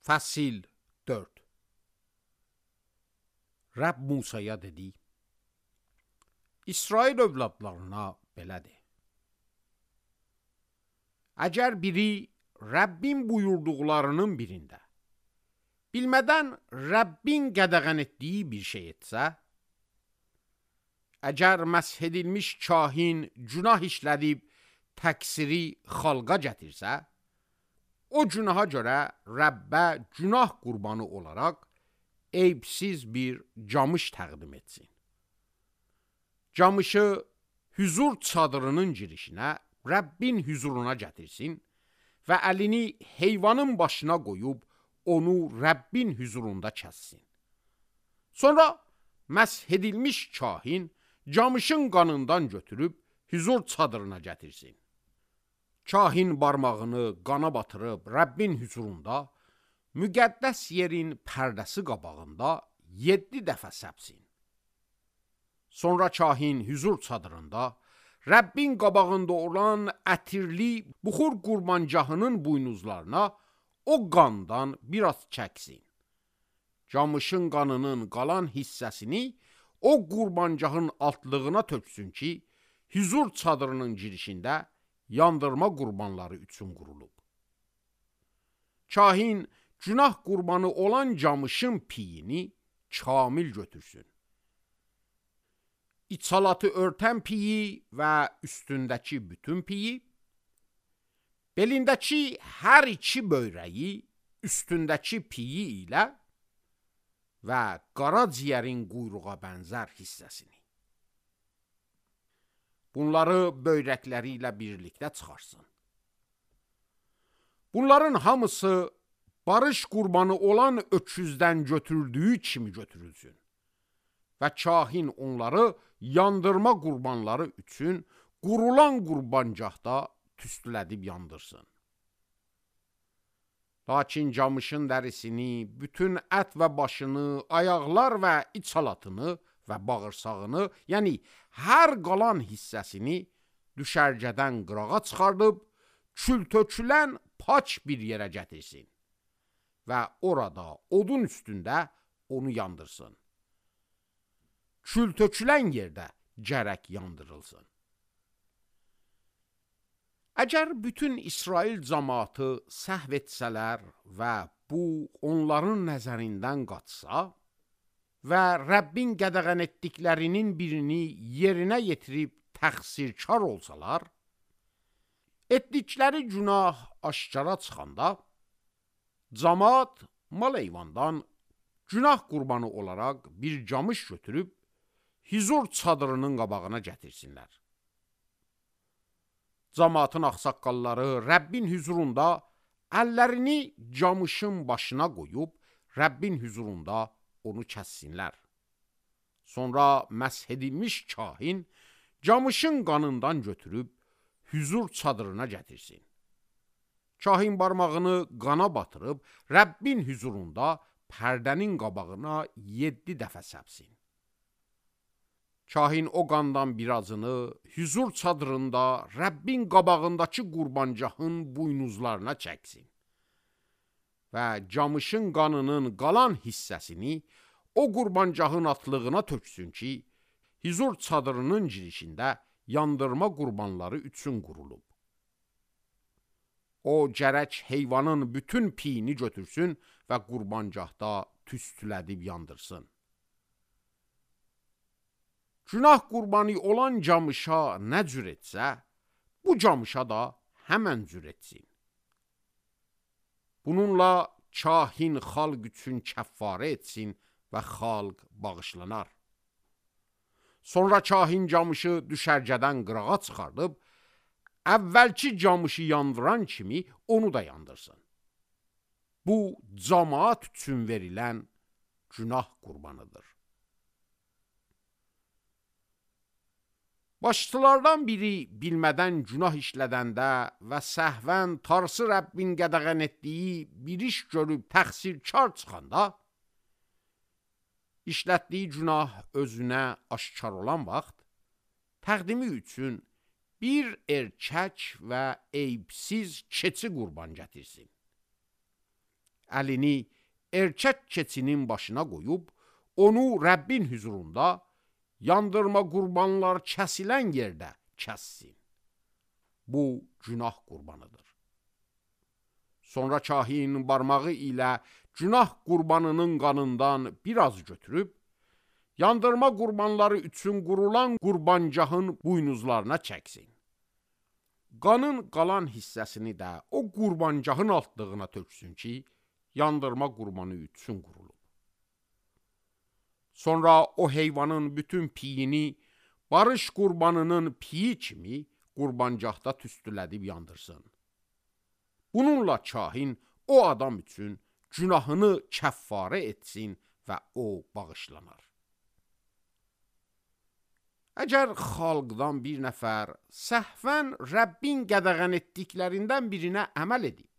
Fəsil 4. Rəbb Musaya dedi: İsrail övladlarına belədir. Əgər biri Rəbbin buyurduqlarının birində bilmədən Rəbbin qədəğən etdiyi bir şey etsə, əgər məsh edilmiş kahin günah işlədib təqsiri xalqa gətirsə, o günaha görə Rəbbə günah qurbanı olaraq eybsiz bir camış təqdim etsin. Camışı hüzur çadırının girişinə, Rəbbin hüzuruna gətirsin və əlini heyvanın başına qoyub onu Rəbbin hüzurunda kəssin. Sonra məsh edilmiş kahin camışın qanından götürüb hüzur çadırına gətirsin. Kahin barmağını qana batırıb Rəbbin hüzurunda, müqəddəs yerin pərdəsi qabağında 7 dəfə səpsin. Sonra kahin hüzur çadırında Rəbbin qabağında olan ətirli buxur qurbancahının buynuzlarına o qandan biraz çəksin. Camışın qanının qalan hissəsini o qurbancahın altlığına töksün ki, hüzur çadırının girişində yandırma qurbanları üçün qurulub. Kahin günah qurbanı olan camışın piyini kamil götürsün. İçalatı örtən piyi və üstündəki bütün piyi, belindəki hər iki böyrəyi üstündəki piyi ilə və qaraciyərin quyruğa bənzər hissəsini. Bunları böyrəkləri ilə birlikdə çıxarsın. Bunların hamısı barış qurbanı olan öküzdən götürdüyü kimi götürülsün və kahin onları yandırma qurbanları üçün qurulan qurbancaqda tüstülədib yandırsın. Lakin camışın dərisini, bütün ət və başını, ayaqlar və içalatını və bağırsağını, yəni hər qalan hissəsini düşərgədən qırağa çıxardıb, kül tökülən paç bir yerə gətirsin və orada odun üstündə onu yandırsın. Kül tökülən yerdə gərək yandırılsın. Əgər bütün İsrail cəmaatı səhv etsələr və bu onların nəzərindən qaçsa və Rəbbin qədəğən etdiklərinin birini yerinə yetirib təqsirkar olsalar, etdikləri günah aşkara çıxanda, cəmaat mal heyvandan günah qurbanı olaraq bir camış götürüb hüzur çadırının qabağına gətirsinlər. Cəmaatın ağsaqqalları Rəbbin hüzurunda əllərini camışın başına qoyub Rəbbin hüzurunda onu kəssinlər. Sonra məsh edilmiş kahin camışın qanından götürüb hüzur çadırına gətirsin. Kahin barmağını qana batırıb Rəbbin hüzurunda pərdənin qabağına 7 dəfə səpsin. Kahin o qandan birazını hüzur çadırında Rəbbin qabağındakı qurbancahın buynuzlarına çəksin və camışın qanının qalan hissəsini o qurbancahın atlığına töksün ki, hüzur çadırının girişində yandırma qurbanları üçün qurulub. O gərək heyvanın bütün piyini götürsün və qurbancahda tüstülədib yandırsın. Günah qurbanı olan camışa nə cür etsə, bu camışa da həmən cür etsin. Bununla kahin xalq üçün kəffarə etsin və xalq bağışlanar. Sonra kahin camışı düşərgədən qırağa çıxardıb, əvvəlki camışı yandıran kimi onu da yandırsın. Bu, cəmaat üçün verilən günah qurbanıdır. Başçılardan biri bilmədən günah işlədəndə və səhvən tarsı Rəbbin qədəğən etdiyi bir iş görüb təqsirkar çıxanda, işlətdiyi günah özünə aşkar olan vaxt, təqdimi üçün bir erkək və eybsiz keçi qurban gətirsin. əlini erkək keçinin başına qoyub, onu Rəbbin hüzurunda yandırma qurbanlar kəsilən yerdə kəssin. Bu günah qurbanıdır. Sonra kahin barmağı ilə günah qurbanının qanından biraz götürüb, yandırma qurbanları üçün qurulan qurbancahın buynuzlarına çəksin. Qanın qalan hissəsini də o qurbancahın altlığına töksün ki, yandırma qurbanı üçün qurulub. Sonra o heyvanın bütün piyini barış qurbanının piyi kimi qurbancahda tüstülədib yandırsın. Bununla kahin o adam üçün günahını kəffarə etsin və o bağışlanar. Əgər xalqdan bir nəfər səhvən Rəbbin qədəğən etdiklərindən birinə əməl edib,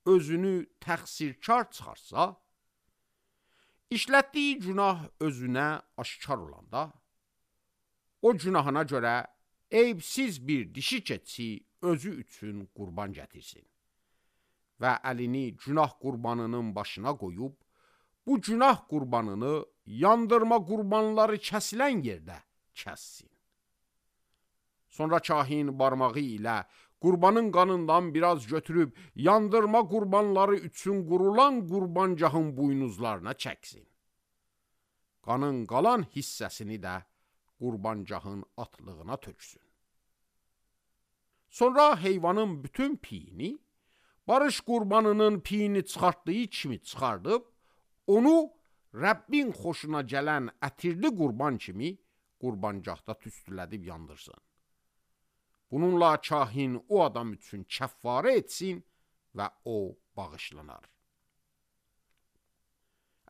özünü təqsirkar çıxarsa, işlətdiyi günah özünə aşkar olanda, o günahına görə eybsiz bir dişi keçi özü üçün qurban gətirsin və əlini günah qurbanının başına qoyub, bu günah qurbanını yandırma qurbanları kəsilən yerdə kəssin. Sonra kahin barmağı ilə qurbanın qanından biraz götürüb, yandırma qurbanları üçün qurulan qurbancahın buynuzlarına çəksin. Qanın qalan hissəsini də qurbancahın atlığına töksün. Sonra heyvanın bütün piyini, barış qurbanının piyini çıxartdığı kimi çıxardıb, onu Rəbbin xoşuna gələn ətirli qurban kimi qurbancahda tüstülədib yandırsın. Bununla kahin o adam üçün kəffarə etsin və o bağışlanar.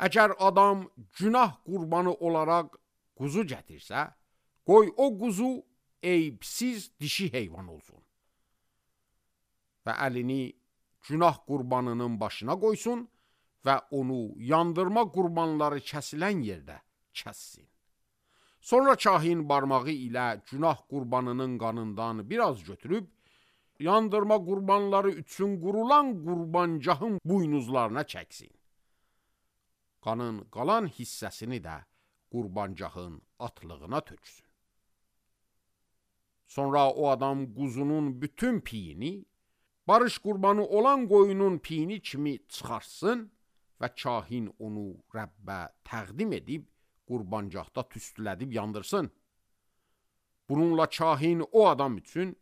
Əgər adam günah qurbanı olaraq quzu gətirsə, qoy o quzu eybsiz dişi heyvan olsun və əlini günah qurbanının başına qoysun və onu yandırma qurbanları kəsilən yerdə kəssin. Sonra kahin barmağı ilə günah qurbanının qanından biraz götürüb, yandırma qurbanları üçün qurulan qurbancahın buynuzlarına çəksin. Qanın qalan hissəsini də qurbancahın atlığına töksün. Sonra o adam quzunun bütün piyini, barış qurbanı olan qoyunun piyini kimi çıxarsın və kahin onu Rəbbə təqdim edib, qurbancahda tüstülədib yandırsın. Bununla kahin o adam üçün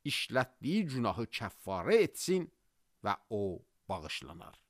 işlətdiyi günahı kəffarə etsin və o bağışlanar.